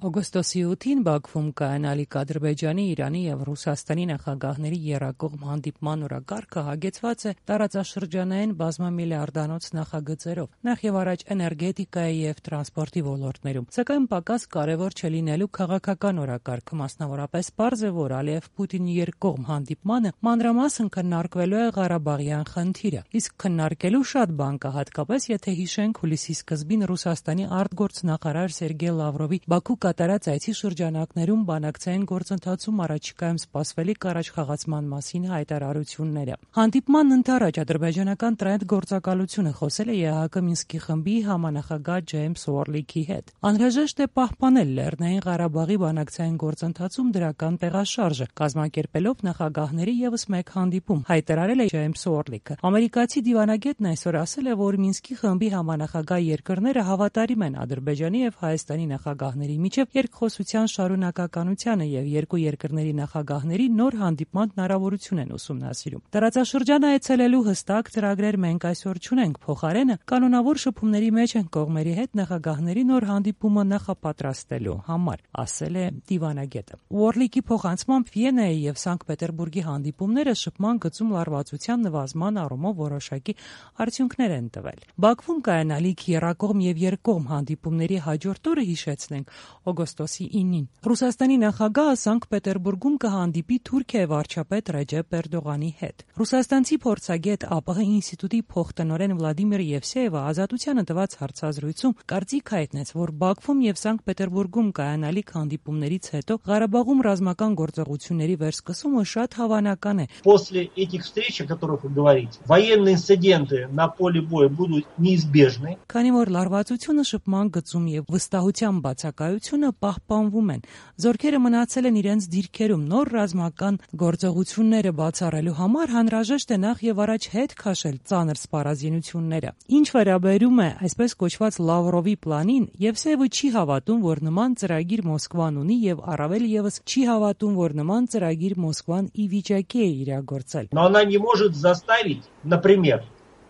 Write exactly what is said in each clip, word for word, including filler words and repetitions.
Օգոստոսի ութին Բաքվում կայանալիք Ադրբեջանի, Իրանի եւ Ռուսաստանի նախագահների եռակողմ հանդիպման օրակարգը հագեցված է տարածաշրջանային բազմամիլիարդանոց նախագծերով, նախ եւ առաջ էներգետիկայի եւ տրանսպորտի ոլորտներում, սակայն պակաս կարեւոր չէ լինելու քաղաքական օրակարգը, մասնավորապես պարզ է, որ Ալիև-Պուտինի երկկողմ հանդիպմանը մանրամասն քննարկվելու է Ղարաբաղյան խնդիրը, իսկ քննարկելու շատ բան կա, հատկապես եթե հիշենք հուլիսի սկզբին Ռուսաստանի արտգործնախարար Սերգեյ Լավրովի Բաքու կատարած այցի շրջանակներում բանակցային գործընթացում առաջիկայում սպասվելիք առաջխաղացման մասին հայտարարությունները։ Հանդիպման ընթരാճ ադրբեջանական տրենդ գործակալությունը խոսել է ԵԱՀԿ Մինսկի խմբի համանախագահ Ջեյմս Ուորլիքի հետ։ Անհրաժեշտ է պահպանել Լեռնային Ղարաբաղի բանակցային գործընթացում դրական տեղաշարժը, կազմակերպելով նախագահների ևս մեկ հանդիպում, հայտարարել է Ջեյմս Ուորլիքը։ Ամերիկացի դիվանագետն այսօր ասել է, որ Մինսկի խմբի համանախագահ երկրները հավատարիմ են Ադրբեջանի եւ Հայաստանի նախագահների միջև երկխոսության շարունակականությանը եւ երկու երկրների նախագահների նոր հանդիպման հնարավորություն են ուսումնասիրում։ Տարածաշրջանը այցելելու հստակ ծրագրեր մենք այսօր չունենք, փոխարենը կանոնավոր շփումների մեջ են կողմերի հետ նախագահների նոր հանդիպումը նախապատրաստելու համար, ասել է դիվանագետը։ Ուորլիկի փոխանցմամբ Վիեննայի եւ Սանկտ Պետերբուրգի հանդիպումները շփման գծում լարվածության նվազման առումով որոշակի արդյունքներ են տվել։ Բաքվում կայանալիք եռակողմ եւ երկկողմ հանդիպումների հաջորդ օրը, հիշեցնենք, օգոստոսի ինին Ռուսաստանի նախագահը Սանկտ Պետերբուրգում կհանդիպի Թուրքիայի վարչապետ Ռեջեփ Էրդողանի հետ։ Ռուսաստանցի փորձագետ ԱՊՀ ինստիտուտի փոխտնօրեն Վլադիմիր Եվսեևը Ազատությանը տված հարցազրույցում կարծիք հայտնեց, որ Բաքվում եւ Սանկտ Պետերբուրգում կայանալիք հանդիպումներից հետո Ղարաբաղում ռազմական գործողությունների վերսկսումը շատ հավանական է։ После этих встреч, о которых вы говорите, военные инциденты на поле боя будут неизбежны. Քանի որ լարվածությունը շփման գծում եւ վստահության բացակայությունը պահպանվում են, զորքերը մնացել են իրենց դիրքերում, նոր ռազմական գործողությունները բացառելու համար անհրաժեշտ է նախ եւ առաջ հետ քաշել ծանր սպառազինությունները։ Ինչ վերաբերում է այսպես կոչված Լավրովի պլանին, Եվսեևը չի հավատում, որ նման ծրագիր Մոսկվան ունի եւ առավել եւս չի հավատում, որ նման ծրագիր Մոսկվան ի վիճակի է իրագործել։ Но она не может заставить, например,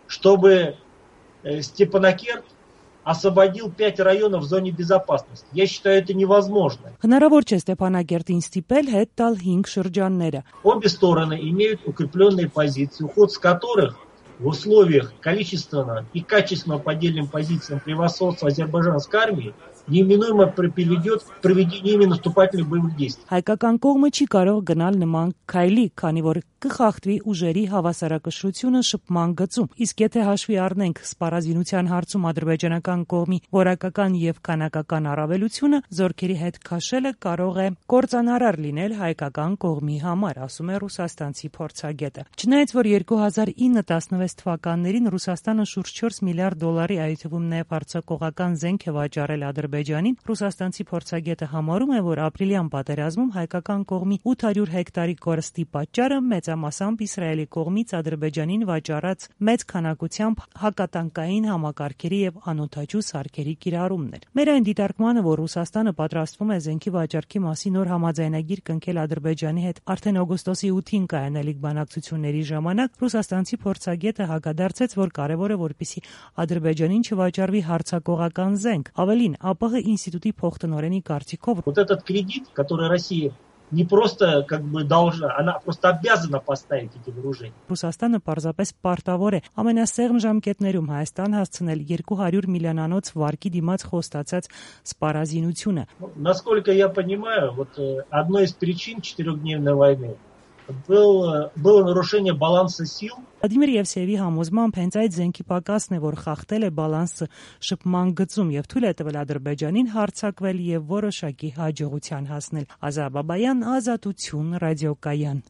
чтобы Степанакерт освободил пять районов в зоне безопасности. Я считаю, это невозможно. Հնարավոր չէ Ստեփանակերտին ստիպել հետ տալ հինգ շրջանները։ Обе стороны имеют укрепленные позиции, уход с которых в условиях количественного и качественного по отдельным позициям превосходства азербайджанской армии неминуемо приведет к проведению именно наступательных боевых действий. Հայկական կողմը չի կարող գնալ նման քայլի, քանի որ կխախտվի ուժերի հավասարակշռությունը շփման գծում։ Իսկ եթե հաշվի առնենք սպառազինության հարցում ադրբեջանական կողմի որակական եւ քանակական առավելությունը, զորքերի հետ քաշելը կարող է կործանարար լինել հայկական կողմի համար, ասում է ռուսաստանցի փորձագետը։ Չնայած որ երկու հազար ինը տասնվեց թվականներին Ռուսաստանը շուրջ չորս միլիարդ դոլարի, այդ թվում նաեւ հարձակողական զենք է վաճառել Ադրբեջանին, ռուսաստանցի փորձագետը համարում է, որ ապրիլյան պատերազմում հայկական կողմի ութ հարյուր հեկտարի կորստի պատճառը մեծամասամբ Իսրայելի կողմից Ադրբեջանին վաճառած մեծ քանակությամբ հակատանկային համակարգերի եւ անօդաչու սարքերի կիրառումն էր։ Մեր այն դիտարկմանը, որ Ռուսաստանը պատրաստվում է զենքի վաճառքի մասին նոր համաձայնագիր կնքել Ադրբեջանի հետ արդեն օգոստոսի ութին կայանալիք բանակցությունների ժամանակ, ռուսաստանցի փորձագետը հակադարձեց, որ կարևոր է, որպեսզի Ադրբեջանին չվաճառվի հարձակողական զենք։ Ավելին, ԱՊՀ ինստիտուտի փոխտնօրենի կարծիքով вот этот кредит, который Россия не просто как бы должна, она просто обязана поставить эти вооружения. Ռուսաստանը պարզապես պարտավոր է ամենասեղմ ժամկետներում Հայաստան հասցնել երկու հարյուր միլիոնանոց վարկի դիմաց խոստացած սպառազինությունը։ Насколько я понимаю, вот одной из причин четырехдневной войны был было нарушение баланса сил. Վլադիմիր Եվսեևի համոզմամբ հենց այդ զենքի պակասն է, որ խախտել է բալանսը շփման գծում եւ թույլ է տվել Ադրբեջանին հարձակվել եւ որոշակի հաջողության հասնել։ Ազա Բաբայան, Ազատություն, ռադիոկայան։